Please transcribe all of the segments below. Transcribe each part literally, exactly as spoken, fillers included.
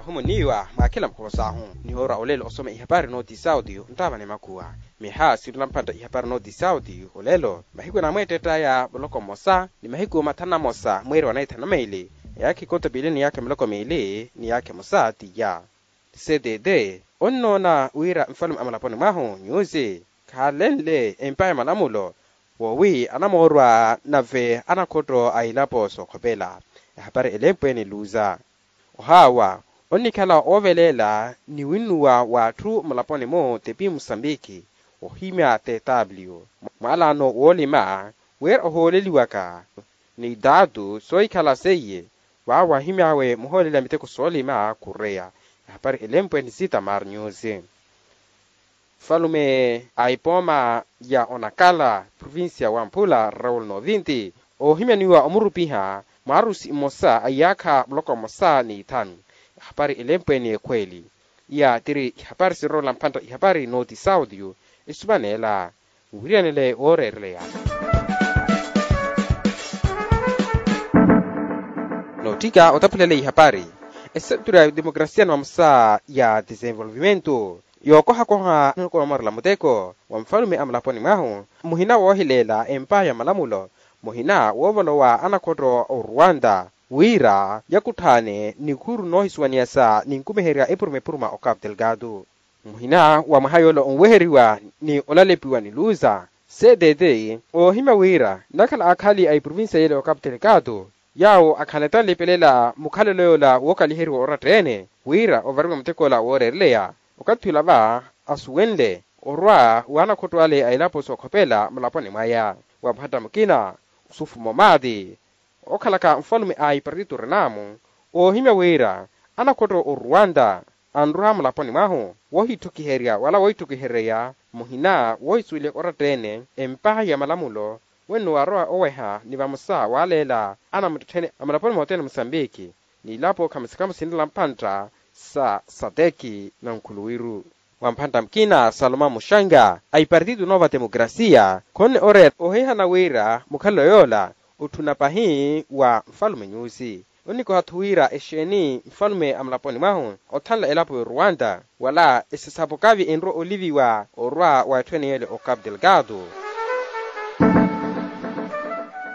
Ohumuniwa mwakhila mukhovo sahu. Nihoorwa olelo osoma ihapari nooti sauti ntaavani makuwa. Miha sirula mpantta ihapari nooti sauti olelo mahiku namweettettaya muloko mmosa ni mahiku mathanu na mmosa mweeri wa naithanu na meili. Eyaakha ikonto piili ni yaakha miloko miili ni yaakha emosa tiya. Cdd onnoona wira nfalume a mulaponi mwahu nyusi khaalenle empa ya malamulo woowi anamoorwa nave anakhotto a ilapo sookhopela. Ehapari elempwe ni luza ohawa onnikhala ooveleela ni winnuwa w'atthu mulaponi-mu tepi musambiki ohimya tw mwalaano woolima wira ohooleliwaka ni taatu soohikhala seiye waawo ahimy'awe muhooleli a miteko soolima kureya. Ehapari elempwe ni sita marnyusi. Nfalume a epooma ya onakala provincia wa mphula raul novinti oohimyaniwa omurupiha mwaarusi mmosa a iyaakha muloko mmosa ni ithanu. Ehapari elempwe ni ekhweeli. Iya tiri ihapari sinrola mphantta ihapari nooti saudio esumaneela. Nwiriyanele wooreereleya nootthika otaphulele ihapari. Esenturu ya demokrasia ni vamosa ya desenvolvimento yookohakoha nikonomorela muteko wa nfalume a mulaponi mwahu muhina woohileela empa ya malamulo muhina woovolowa anakhotto a oruwanta wira yakutthaane nikhuuru noohisuwaniyasa ninkumiherya epuruma epuruma o capu delgado. Muhina wa mwaha yoola onweheriwa ni olalepiwa ni luza ctt oohimya wira nnakhala akhali a eprovincia yeela ya ocapu delgado yaawo akhanleta nlipelela mukhalelo yoola wookaliheriwa oratta-ene wira ovariwa mutek'ola wooreereleya. Okathi ula va asuwenle orwa w'anakhotto ale a elapo sookhopela mulaponi mwaya wa mphatta mukina osufumo maati okhalaka nfalume a ipartito renamu oohimya wira anakhotto oruwanta anroha mulaponi mwahu woohittukiherya wala woohittukihereya muhina woohisuwelya oratta-ene empa ya malamulo wenno waarowa oweha ni vamosa waaleela anamuttettheni a mulaponi mothene musambiki n'ilapo khamusikhamu sinrela mpantta sa sateki na nkhuluwiru wa mphantta mukina salomao muxanga a ipartito nova demokrasia khonne oreera ohihana wira mukhalelo yoola otthuna pahi wa nfalume nyusi. Onnikoha-tho wira exeeni nfalume a mulaponi mwahu othanla elapo y'oruwanta wala esasapo kavi enrwa oliviwa orwa wa etthu ene yeele o capu delgado.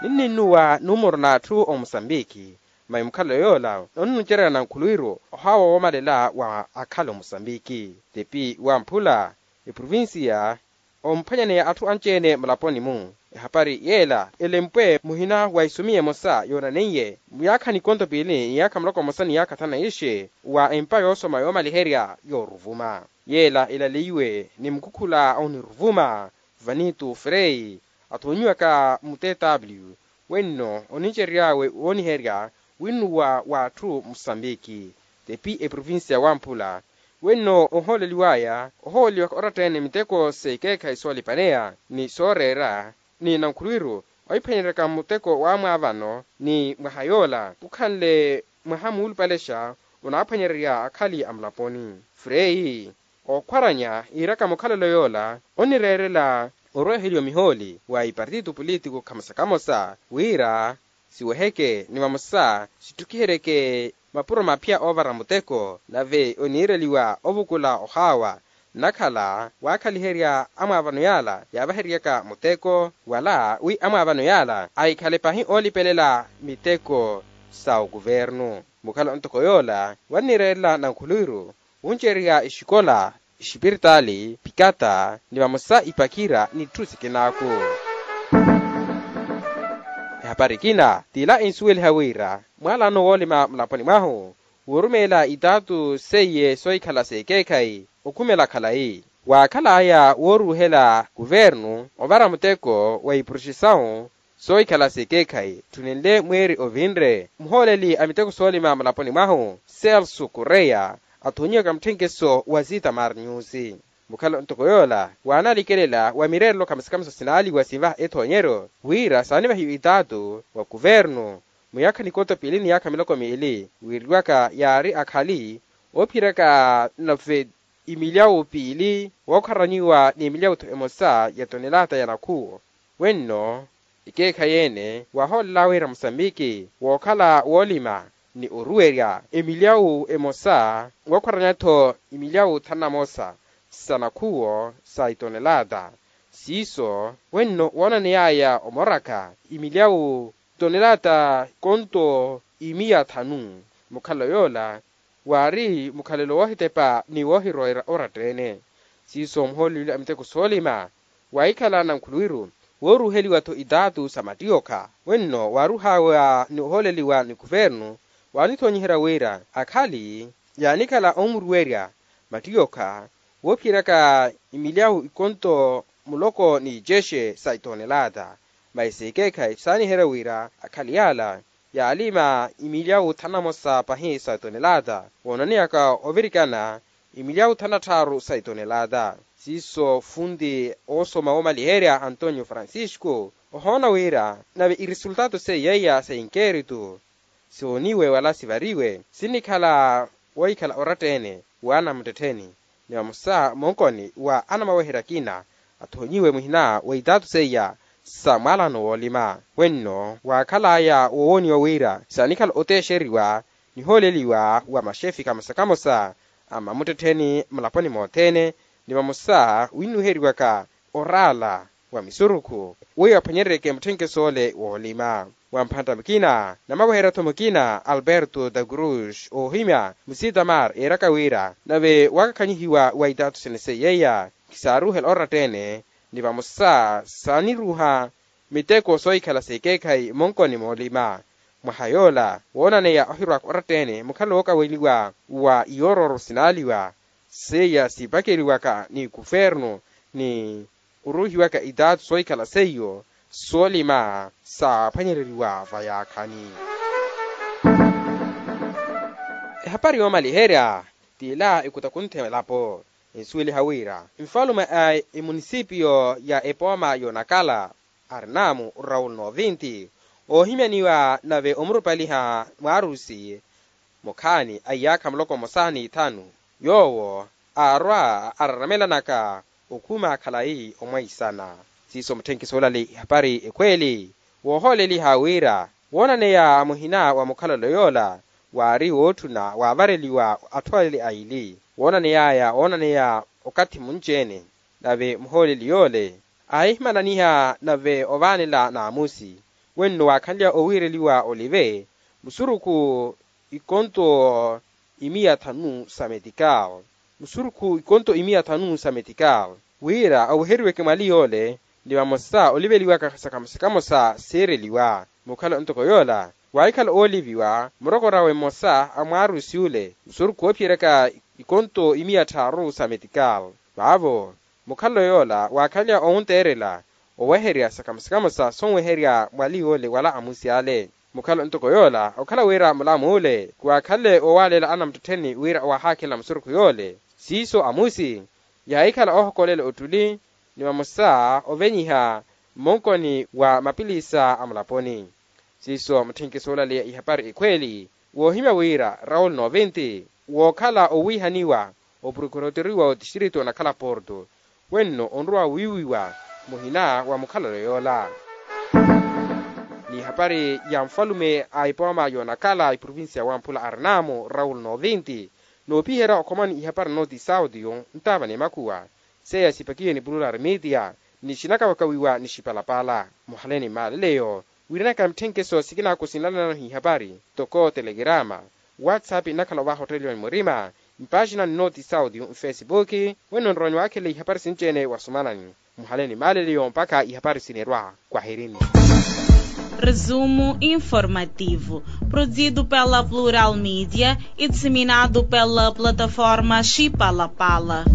Ninnuwa numoro n'atthu omusambiki mai mukhalelo yoola onnucererya na nkhuluwiru ohawa woomalela wa akhala omusambiki tepi wa mphula eprovincia omphwanyaneya atthu anci-ene mulaponi-mu. Ehapari yeela elempwe muhina wa isumiya emosa yoonaneiye muyaakha nikonto piili ni yaakha muloko mmosa ni yaakha thanu na ixe wa empa yoosoma yoomaliherya yooruvuma yeela elaleiwe ni mukhukhula oniruvuma vanito frei athoonyiwaka mu tw wenno onincerery'awe wooniherya winnuwa w'atthu musambiki tepi eprovincia wa mphula wenno ohooleliw'aya ohooleliwaka oratta-ene miteko s'ekeekhayi soolipaneya ni sooreera ni nankhuluwiru ohiphwanyereryaka muteko w'amwaavano ni mwaha yoola kukhanle mwaha muulupalexa onaaphwanyererya akhali a mulaponi. Frei ookhwaranya iiraka mukhalelo yoola onireerela orweeheliwa mihooli wa ipartito político khamosa khamosa wira siweheke ni vamosa sitthukiheryeke mapuro maphya oovara muteko nave oniireliwa ovukula ohaawa nnakhala waakhaliherya amwaavano yaala yaavaheryaka muteko wala wi amwaavano yaala ahikhale pahi oolipelela miteko sa okuvernu. Mukhala ontoko yoola wannireerela nankhuluwiru wuncererya exikola exipiritaali pikata ni vamosa ipakira n'itthu sikinaaku. Ehapari ekina t'ila ensuweliha wira mwaalaano woolima mulaponi mwahu woorumeela itaatu seiye soohikhala s'ekeekhayi okhumela khalayi waakhal'aya wooruuhela kuvernu ovara muteko wa iproxesawu soohikhala s'ekeekhayi tthunenle mweeri ovinre muhooleli a miteko soolima mulaponi mwahu celso correia athoonyiwaka mutthenkeso wa zita marnyusi. Mukhala ntoko yoola waanalikelela wa mireerelo khamusikhamusa sinaaliwa sinvaha ethoonyeryo wira saanivahiwe itaatu wa kuvernu muyaakha nikoto piili ni yaakha miloko miili wiireliwaka yaari akhali oophiyeryaka nave imilyawu piili wookharanyiwa ni emilyawu-tho emosa ya tonelata ya nakhuwo. Wenno ekeekhayi ene waahoolel'awe wira musambiki wookhala woolima ni oruwerya emilyawu emosa wakhwaranya-tho imilyawu thanu na mosa sa nakhuwo sa itonelata. Siiso wenno woonaneyaya omoraka imilyawu tonelata ikonto imiya thanu. Mukhalelo yoola waari mukhalelo woohitepa ni woohirowerya oratta-ene. Siiso muhooleli a miteko soolima waahikhala nankhuluwiru wooruheliwa-tho itaatu sa mattiyokha wenno waaruhawa ni ohooleliwa ni kuvernu waanithonyiherya wira akhali yaanikhala oomuruwerya mattiyokha woophiyeryaka imilyawu ikonto muloko ni icexe sa itonelata. Masi seekeekhayi saaniherya wira akhali yaala yaalima imilyawu thanu na mosa pahi sa itonelata woonaneyaka ovirikana imilyawu thanu na tthaaru sa itonelata. Siiso funti oosoma woomaliherya antonio francisco ohoona wira nave iresultato seiya iya sa inkeritu sooniwe wala sivariwe sinikhala wohikhala oratta-ene wa anamuttettheni ni vamosa monkoni wa anamaweherya akina athonyiwe muhina wa itaatu seiya sa mwaalano woolima. Wenno waakhalaya wowooniwa wira saanikhala oteexeriwa nihooleliwa wa maxefi kamosa kamosa a mamuttettheni mulaponi mothene ni vamosa winnuheriwaka oraala wa misurukhu weiwo aphwanyereryeke mutthenkeso ole woolima. Wa mphantta mukina namaweherya-tho mukina alberto da cruz oohimya musitamar eeraka wira nave waakakhanyihiwa wa itaatu sene seiyeiya kisaaruhela oratta-ene ni vamosa saaniruha miteko soohikhala seekeekhayi monkoni moolima. Mwaha yoola woonaneya ohirwaka oratta-ene mukhala wookaweliwa wa iyoororo sinaaliwa seiya siipakeliwaka ni kufernu ni oruhiwaka itaatu soohikhala seiyo soolima saaphwanyereriwa vayaakhani. Ehapari yoomaliherya t'ila ekutakunthe elapo ensuweliha wira nfalume a emunisipiyo ya epooma y'onakala arnaamu raul novinti oohimyaniwa nave omurupaliha mwaarusi mukhaani a iyaakha muloko mmosa n'ithanu yoowo aarwa araramelanaka okhuma khalayi omweisana. Siiso mutthenkiso olali ihapari ekhweeli woohooleliha wira woonaneya muhina wa mukhalelo yoola waari wootthuna waavareliwa atthu ale aili woonaneyaya oonaneya okathi munci-ene. Nave muhooleli yoole aahimananiha nave ovaanela naamusi wenno waakhanlya owiireliwa olive musurukhu ikonto imiya thanu sa metikal musurukhu ikonto imiya thanu sa metikal wira oweheriweke mwali yoole ni vamosa oliveliwaka sa kamosa kamosa siireliwa. Mukhala ntoko yoola waahikhala ooliviwa murokor'awe mmosa a mwaarusi ole musurukhu woophiyeryaka ikonto imiya tthaaru sa metikal vaavo mukhalelo yoola waakhanlya owunteerela oweherya sa kamosa kamosa sonweherya mwali yoole wala amusi ale. Mukhala ntoko yoola okhala wira mulamuule khuwaakhanle owaaleela anamuttettheni wira owahaakhelela musurukhu yoole siiso amusi yaahikhala oohokolela ottuli ni vamosa ovenyiha mmonkoni wa mapilisa a mulaponi. Siiso mutthenkiso olaleya ihapari ekhweeli woohimya wira raul novinti wookhala owiihaniwa oprokuroteriwa otistritu onakhala porto wenno onrowa wiiwiwa muhina wa mukhalelo yoola. N'ihapari ya nfalume a epooma y'onakhala eprovincia ya wamphula arnaamu raul novinti noopiherya okhomani ihapari noti saudio ntaava n'emakhuwa seiya sipakiwe ni plural media ni xinakavakawiwa ni xipalapala muhaleni maaleleyo wiiranaka mitthenkeso sikinaaku sinlananano hihapari toko telegrama whatsapp nnakhala ovaha otteeliwa ni murima mpaaxina ni noti saudio nfesipuki wenno nrowa ni waakhelela ihapari sinci-ene wasumanani muhaleni maaleleyo mpakha ihapari sinerwa kwahirini. Resumo informativo, produzido pela Plural Mídia e disseminado pela plataforma Xipalapala.